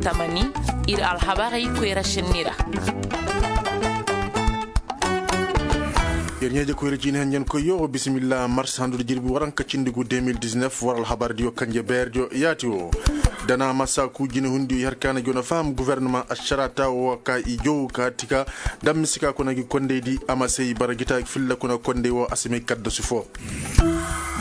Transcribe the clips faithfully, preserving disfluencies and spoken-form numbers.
Tamani, ir alhabarey koyra šenni ra. Yer ɲeeje koyra ciini henjen koy yoo bisimilla mars handu di jirbi waranka cindi gu deux mille dix-neuf war alhabar diyo kanje beer diyo yaati woo. Dana masa ku jine hundi yer kaana jona faham guverneman ašarata woo ka i jow ka tika. Dam misi ka kuna gi kondey di a ma sey bara gita filla kuna kondey woo a si may kaddasu foo.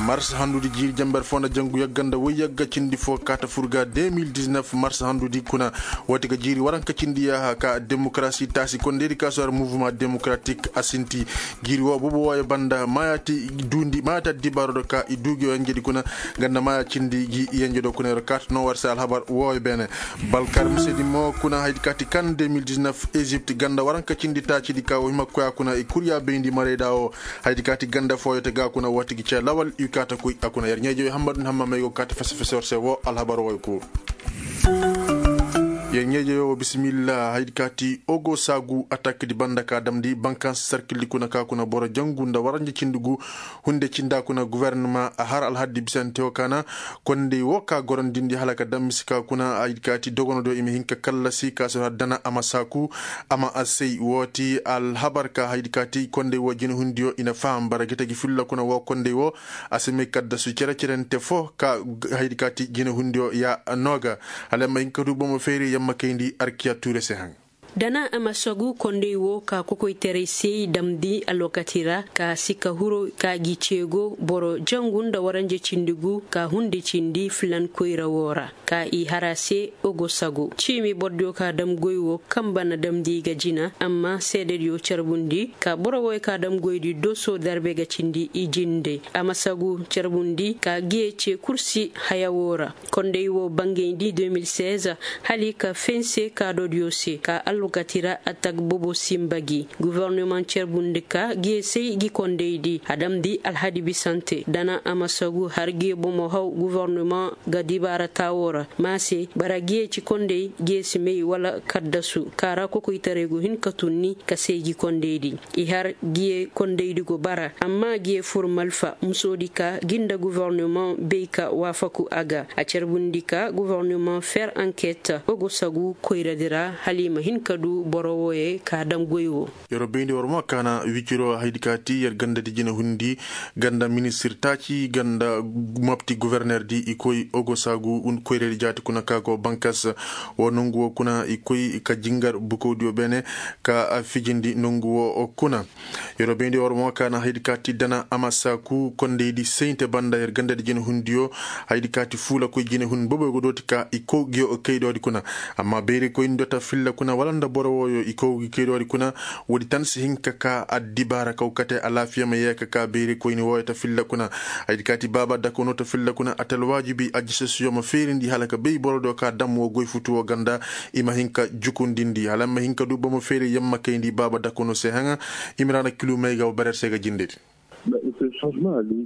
Mars handudi jiiri jamber foo nda jangu yagga nda woy yagga cindi foo kaata fur ga deux mille dix-neuf mars handudi kuna. Woo ti ga jiiri waranka cindi yaaha ka demokarasi taasi kondey di ka soor muvuma demokaraatik a sinti. Jiiri woo bobo wooyo banda maayaati duundi maayaati addibaaro do ka i duu gi yenje di kuna. Nga nda maaya cindi gi yenje do kuna yer kaata noo war se alhabar wooyo beene. Balkar mise di mo kuna haydi kaati kan deux mille dix-neuf ezipt ganda waranka cindi taaci di ka woo hima koy a kuna i kuryaa bayndi marayda woo. Haydi kaati ganda fooyo te ga kuna woo ti gi cee lawal i kaata koy a kuna yer ɲeeje wey hammadu ni hamma may go kaata fese fese war se woo alhabar wooyo kuu. Yer ɲeeje yoo bisimilla haydi kaati ogo saagu atak di banda ka damndi bankanse sarkil di kuna ka kuna boro jangu nda waranja cindi gu. Hunde cinda kuna guverneman a har alhaddi bisante woo kaana. Kondey woo ka gorondindi hala ka dam misi ka kuna haydi kaati dogonodiyo i ma hin ka kallasi ka sor har dana a ma saaku. A ma a sey woo ti alhabar ka haydi kaati kondey woo jinehundiyo i na faham bara gita gi filla kuna woo kondey woo. A si may kaddasu cere-cerente foo ka haydi kaati jinehundiyo ya noo ga. Hala ay ma hin ka du bomo feeri yamma kayndi arkiya tuure se haŋ. Dana a ma sagu kondey woo ka kokoytaray se damndi alwakati ra ka si ka huru ka gi ceego boro jangu nda waranja cindi gu ka hunde cindi filan koyra woo ra. Ka i har a se ogo sagu ciimi borodiyo ka dam goy woo kamba na damndi ga jina amma seedediyo carbundi ka boro wooyo ka dam goydi doso darbe ga cindi i jinde a ma sagu carbundi ka giye ce kursi haya woo ra. Kondey woo bangayndi deux mille seize hala i ka fense kaadodiyo se ka alwakati ra atak bobo sinba gi. Guverneman carbundi ka giye say gi kondey di a damndi alhadi bisante dana a ma sagu har giye bomo haw guverneman ga dibaara taawoo ra. Maase bara giye ci kondey giye si may wala kaddasu ka ra kokoytaray go hin ka tunni ka say gi kondey di. I har giye kondey di go bara amma giye fur malfa musoodi ka gi nda guverneman bay ka waafaku a ga a carbundi ka guverneman fer anket ogo sagu koyradi ra hala i ma hin ka du boro wooyey ka dam goy woo. Yer wo bayndi war mo kaana wiciro haydi ka ti yer gandadi jine hundi ganda ministir taaci ganda mopti guvernerdi i koy ogo saagu koyradi jaati kuna ka go bankas. Wo nongu wo kuna i koy ka jingar bukowdiyo beene ka fijindi nongu wo kuna. Yeroo bayndi war mo kaana haydi ka ti dana a ma saaku kondaydi sayinte banda yer gandadi jine hundiyo. Haydi ka ti fuula koy jine hun boboy go dooti ka i kow giyo kaydoodi kuna. Amma bayri koyni do ta filla kuna wala nda boro wooyo i kow gi kaydoodi kuna. Woodi tan si hin ka ka addibaara kaw kate alaafiya ma yee ka ka bayri koyni wooyo ta filla kuna. Haydi ka ti baaba dakono ta filla kuna a ta alwaajibi ajisasiyo ma feerindi hala ka bay boro do ka dam woo goy futu woo ganda. I ma hin ka jukundindi hala ma hin ka du bomo feeri yamma kayndi baaba dakono se haŋa. Imiraana kilu may ga wa barer se ga jindedi.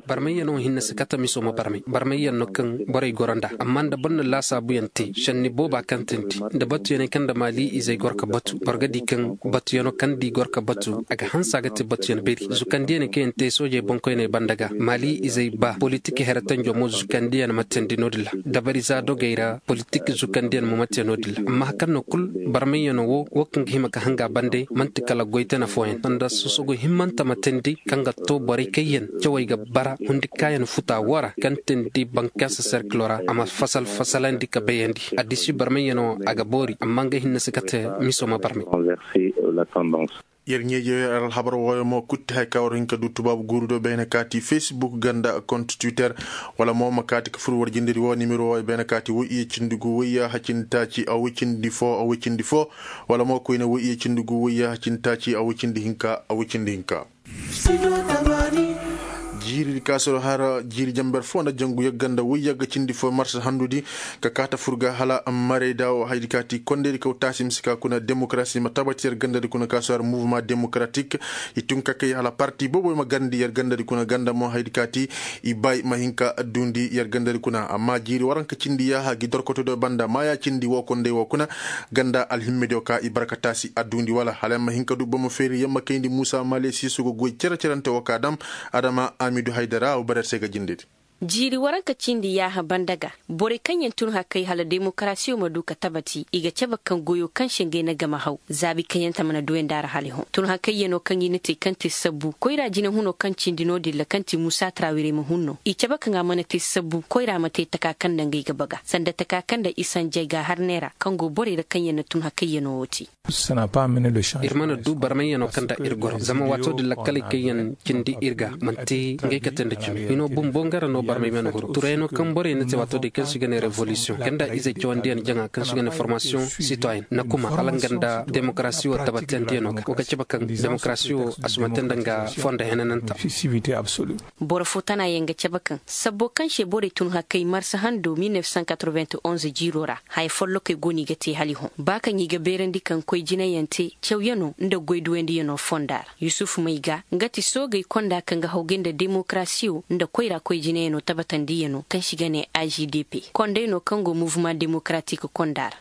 Barmayyanoo hinne si kate miso ma barmay barmayyanoo kaŋ borey goro nd'a amma nda boro na laasaabuyaŋ te šenni booba kaŋ tindi nda batuyaney kaŋ nda maali izey goro ka batu boro ga di kaŋ batuyanoo kaŋ nda i goro ka batu a ga hanse a ga te batuyan beri zukandiyaney kaŋ yaŋ te soojey boŋkoyney banda ga maali izey ba politik here tanjo mo zukandiyan ma teendi no- din ra dabariza dogey ra politik zukandiyan mo ma te no- din ra amma hari kaŋ no kul barmayyanoo wo wo kaŋ ga hima ka hanga bande man'ti kala goy tana fooyaŋ sanda sosogo himmante ma teendi kaŋ ga to borey kaŋ yaŋ cawey ga bara hundi kaayan futa woo ra kaŋ teendi bankaasa serkilo ra a ma fasal fasalandi ka bayandi addisi barmayyanoo a ga boori amma nga hinne si kate miso ma barmay. Yer ɲeeje yer alhabar wooyo mo kutti hay ka war hin ka du tubaabu guuru do bayna kaati facebook ganda kont twitter wala mo ma kaati ka fur war jindiri woo nimero wooyo bayna kaati woy iye cindi gu woy yaaha cindi taaci a woy cindi foo a woy cindi foo. Wala mo koyne woy iye cindi gu woy yaaha cindi taaci a woy cindi hinka a woy cindi hinka. Jiiri di ka soro har jiiri jamber foo nda jangu yagga nda woy yagga cindi foo marsa handudi. Ka kaata fur ga hala marayda woo haydi kaati kondaydi kaw taasi misi ka kuna demokarasi ma tabati yer gandadi kuna ka soro har muvuma demokaraatik. I tun ka kay hala parti boobo ma garndi yer gandadi kuna ganda mo haydi kaati i bay ma hin ka duundi yer gandadi kuna amma jiiri waranka cindi yaaha gi dorkoto do banda maaya cindi woo konday woo kuna. Ganda alhimmediyo ka i barka taasi a duundi wala hala yer ma hin ka du bomo feeri yer ma kayndi muusa maale siiso go goy cere-cerante woo ka dam. Adama amidu haydara a wo barer se ga jindedi. Jiiri waranka cindi yaaha banda ga, borey kaŋ yaŋ tun hakay hala demokarasiyo ma du ka tabati i ga cabe kaŋ goyo kaŋ se ngey na game haw zaabi kaŋ yaŋ ta mana duwandi a ra hala i hõ. Tun hakayyanoo kaŋ i na te kaŋ te sabbu koyra jinahuno kaŋ cindi no-din ra kaŋ ti musa trawire ma hun no i cabe kaŋ a mana te sabbu koyra ma te taka kaŋ nda ngey ga baga sanda taka kaŋ nda isanjay ga harney ra kaŋ go borey ra kaŋ yaŋ na tun hakayyanoo wo te. Ir mana du barmayyanoo kaŋ nda ir goro zama waatoo din lakkaley kaŋ yaŋ cindi ir ga man'ti ngey kate nda cimi hino bumbo nga ra no barmay mana huru turayanoo kaŋ borey na te waatoo din kaŋ se i ga ne revolisiyoŋ kaŋ nda izey cawandiyaŋ jaŋa kaŋ se i ga ne formasiyoŋ sitoyen na kuma hala nga nda demokarasi wo tabbatiyandiyano ga wo ga cabe kaŋ demokarasi wo a sumante nda nga fondo henananta. Boro fo tana yaŋ ga cabe kaŋ sabbo kaŋ se borey tun hakay marsa hando mil nef san katroventonze jiiro ra haya follokey go no i ga te hala i hõ ba kaŋ i ga beerandi kaŋ koy jinayaŋ te cawyanoo nda goy duwandiyanoo fonda ra. Yusuf may ga nga ti soogey konda kaŋ ga hawgay nda demokarasiyo nda koyra koy jinayaŋoo tabatandiyaŋoo kaŋ se i ga ne a g d p konday no kaŋ go muvuma demokaraatik konda ra.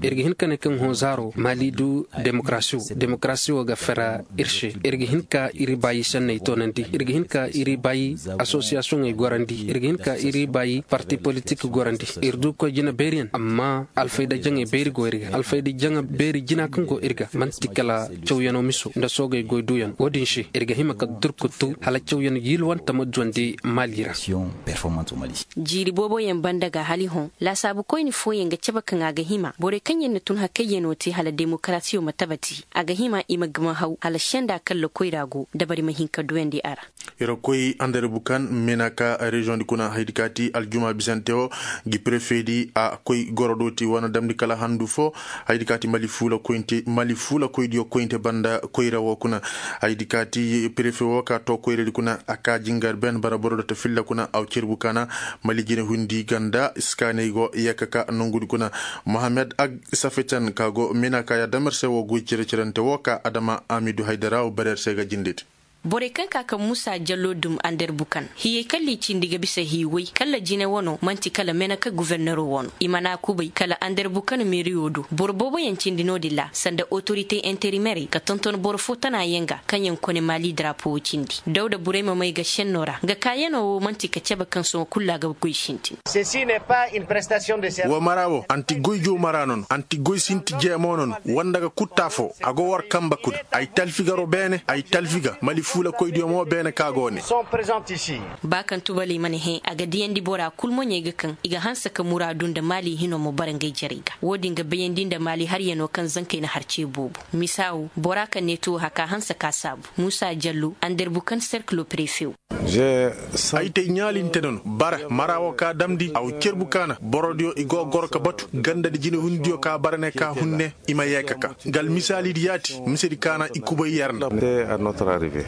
Ir ga hin ka ne kaŋ hõ zaaro maali du demokarasi wo ga fera ir se ir ga hin ka ir baayi senney toonandi ir ga hin ka ir baayi asosiyasiyoŋey gorandi ir ga hin ka ir baayi parti politik gorandi. Ir du koy jina beeriyaŋ amma alfayda jaŋey beeri go ir ga alfayda jaŋa beeri jina kaŋ go ir ga man'ti kala cawyanoo miso nda soogey goy duuyaŋ wo-din se ir ga hima ka durkutu hala cawyan yilwante ma duwandi maali ra. Jiiri booboyaŋ banda ga hala i hõ laasaabu koyne fooyaŋ ga cabe kaŋ a ga hima borey kaŋ yaŋ na tun hakayyanoo te hala demokarasiyo ma tabati a ga hima i ma gama haw hala senda kaŋ lakoyra go dabari ma hin ka duyandi a ra. Ira koy andare bukan mena ka reziyoŋ di kuna haydi ka ti aljuma bisante wo gi prefe di a koy goro do ti wane damndi kala handu fo. Haydi ka ti mali fuula koyinte mali fuula koydiyo koyinte banda koyra wo kuna. Haydi ka ti prefe wo ka to koyra di kuna a ka jingar ben bara boro do ta filla kuna aw cerbu kana mali jine hundi ganda iskaaney go yeka ka nongudi kuna. Mohammed ag safetan ka go mena ka ya damer se wo goy cere cerante wo ka adama amidu haydara wo barer se ga jindedi. Borey kaŋ ka ka muusa jallo dum ander bukan hiyey kaŋ liicindi ga bisa hiiwey kala jine wano man'ti kala meneka guverneroo wano i mana kubay kala ander bukan meeriyo do boro booboyaŋ cindi no-din ra sanda otorite interimerey ka tonton boro fo tana yaŋ ga kaŋ yaŋ kone maali darapoo cindi dawda burey ma may ga senno ra nga kaayanoo wo man'ti ka cebe kaŋ sohõ kul ra ga goy sintin. Wo mara wo anti goy joo mara nono anti goy sinti jeemo nono wanda ga kutta fo a go war kamba kuna. Ay talfi garo beene ay talfi ga mali fuula koydiyo mo beene ka go ne. Ba kaŋ tubaley mana hẽ a ga diyandi bora kul moɲey ga kaŋ i ga hanse ka muraadu nda maali hino mo bara ngey jarey ga wo-din ga bayandi nda maali haryano kaŋ zankey na har ce boobo. Misa wo bora kaŋ ne tuwo haka hanse ka saabu muusa jallo anderbu kaŋ serkilo prefe wo. Ay te ɲaalinte nono bara mara wo ka damndi a wo cerbu kaana borodiyo i go goro ka batu ganda di jinehundiyo ka bara ne ka hunne. I ma yee ka ka nga almisaalidi yaati misedi kaana i kubay yer nda.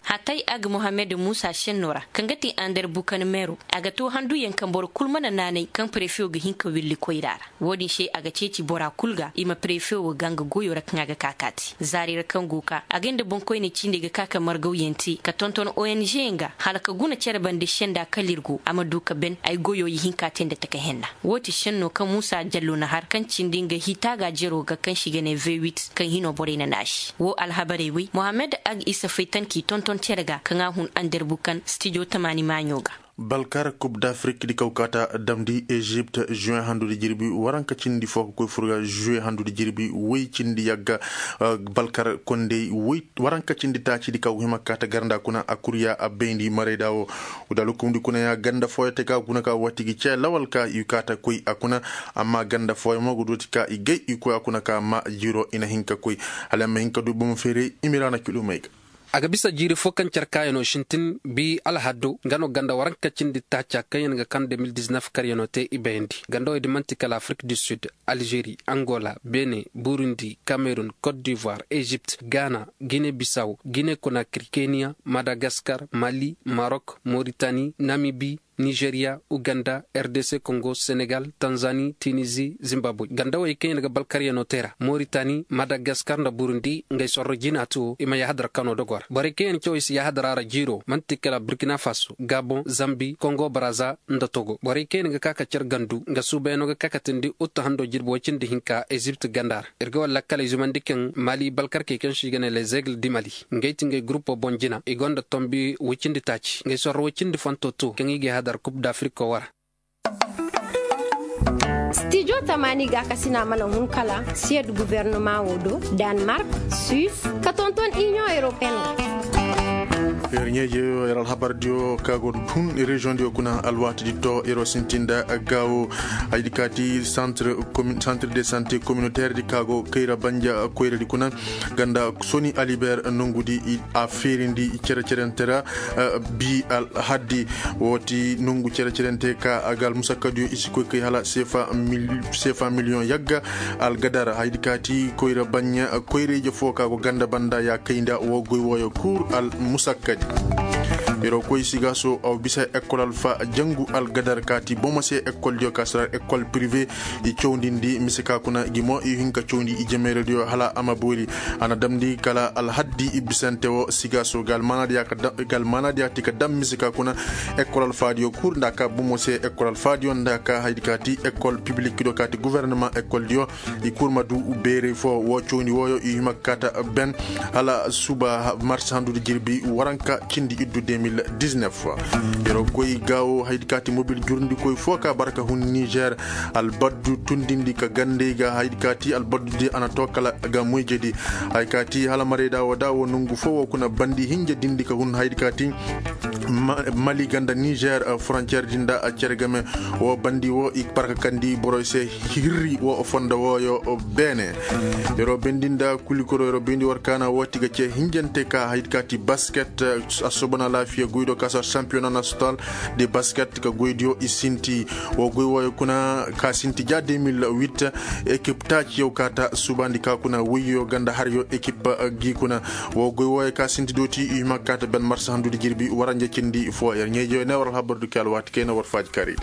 Hatay ag mohammed muusa senno ra kaŋ ga ti ander bukan meero a ga too handuyaŋ kaŋ boro kul mana naanay kaŋ prefe wo ga hin ka willi koyra ra. Wo-din se a ga ceeci bora kul ga i ma prefe wo ga nga goyo ra kaŋ a ga ka kaati zaari ra kaŋ go ka a ga nda boŋkoyney ciindey ga ka ka margawyaŋ te ka tonton ong yaŋ ga hala ka guna cere bande senda kala ir go a ma du ka ben ay goyo i hinka te nda taka henna. Wo ti senno kaŋ muusa jallo na har kaŋ cindi nga hita ga jero ga kaŋ se i ga ne vewit kaŋ hino borey na naasi wo alhabarey wey mohammed ag isa faytan k'i tonton cere ga kaŋ a hun anderbu kaŋ stijo tamaani maaɲo ga. Balkar kub d'afrik di kaw kaata damndi ezipt juwe handudi jirbi waranka cindi fo ka koy fur ga juwe handudi jirbi woy cindi yagga. Balkar kondey woy waranka cindi taaci di kaw hima kaata garnda kuna a kurya a bayndi marayda wo. Wudal hukumdi kuna ya ganda fooyo te ka kuna ka wati gi ce lawal ka i kaata koy a kuna. Amma ganda fooyo mo ga dooti ka i gay i koy a kuna ka ma jiro i na hin ka koy hala ma hin ka du bomo feeray i ma ira na kilomey ga. A ga bisa jiiri fo kaŋ care kaayanoo sintin bi alhaddo nga no ganda waranka cindi taaca kaŋ yaŋ ga kaŋ de mil diznef karyanoo te i bayandi ganda wey di man'ti kala afrik du sud, alžeri, angola, bene, burundi, kamerun, kot divoir, ezipt, gana, gine bisaw, gine konakri, keniya, madagaskar, mali, marok, moritani, namibi, nizeriya, uganda, rdc kongo, senegal, tanzani, tinizi, zimbabwe ganda wey kaŋ yaŋ ga balkaryanoo te ra moritani, madagaskar nda burundi ngey sorro jina to i ma yahadar kano dogo ra borey kaŋ yaŋ cawey si yahadara ra jiiro man'ti kala burkina faso, gabon, zambi, kongo baraza, nda togo borey kaŋ yaŋ ga ka ka care gandu nga suubayanoo ga ka ka tindi uttu hando jirbi woy cindi hinka ezipt ganda ra. Ir ga war lakkaley zumandi kaŋ mali balkarkey kaŋ se i ga ne les aigles di mali ngey ti ngey gurupo boŋ jina i gonda tombi woy cindi taaci ngey sorro woy cindi fanto to kaŋ i ga Dar kup d'afrik ko wara. Stijo tamaani ga ka sina mana hun kala siyad guvernoma wo do, danmark, suif, ka tonton inion europeen. Yer ɲeeje yer alhabar diyo ka go hun reziyoŋ diyo kuna alwaati di to yer sintinda gaawo. Haydi kaati santir de sante kominoteri di ka go kayra banja koyra di kuna ganda soni aliber nongu di a feerindi cere-cerente ra. Bi alhaddi wo ti nongu cere-cerente ka a ga almusakkadiyo i si koy kay hala seefa miliyoŋ yagga. Algadar haydi kaati koyra baɲɲa koyra-ije fo ka go ganda banda ya kay nda wo goy wooyo kul almusakkadi. Yeroo koy sigaaso aw bisa ekol alfa jangu algadar kaati bomo se ekol diyo ka sara ekol pirive. I cawndindi mise ka kuna gi mo i hin ka cawndi i jemeeradiyo hala a ma boori. A na damndi kala alhaddi i bisante wo sigaaso ga almaanaadiya ti ka dam mise ka kuna ekol alfaadiyo kul nda ka bomo se ekol alfaadiyo nda ka haydi ka ti ekol pibilik do ka ti guvernama ekol diyo. I kul ma du beerey fo wo cawndi wooyo i hima ka kaata ben hala suba marsa handu di jirbi waranka cindi iddu de mil diznef. Yeroo koy gaawo haydi ka ti mobil jurndikoy fo ka bara ka hun nizer. Albaddu tundindi ka gandey ga haydi ka ti albaddu di a na too kala ga moyjedi. Hay ka ti hala marayda wo da wo nongu fo wo kuna bandi hinja dindi ka hun haydi ka ti mali ganda nizer frontiyer di nda a cere game. Wo bandi wo i barka kandi boroy se hirri wo fondo wooyo beene. Yeroo bendi nda kulikoro yeroo bendi war kaana wo ti ga ce hinjante ka haydi ka ti basket. A sobona laafiya goydo ka sar sampiyona national de basket ka goydiyo i sinti. Wo goy wooyo kuna ka sinti ja de mil wit. Ekip taaci yow kaata subandi ka kuna woyyo ganda har yo ekip gi kuna. Wo goy wooyo ka sinti dooti i hima kaata ben marsa handudi jirbi waranja cindi fo yer ɲeejo ne war alhabar du ke alwaati kayna war faaji karidi.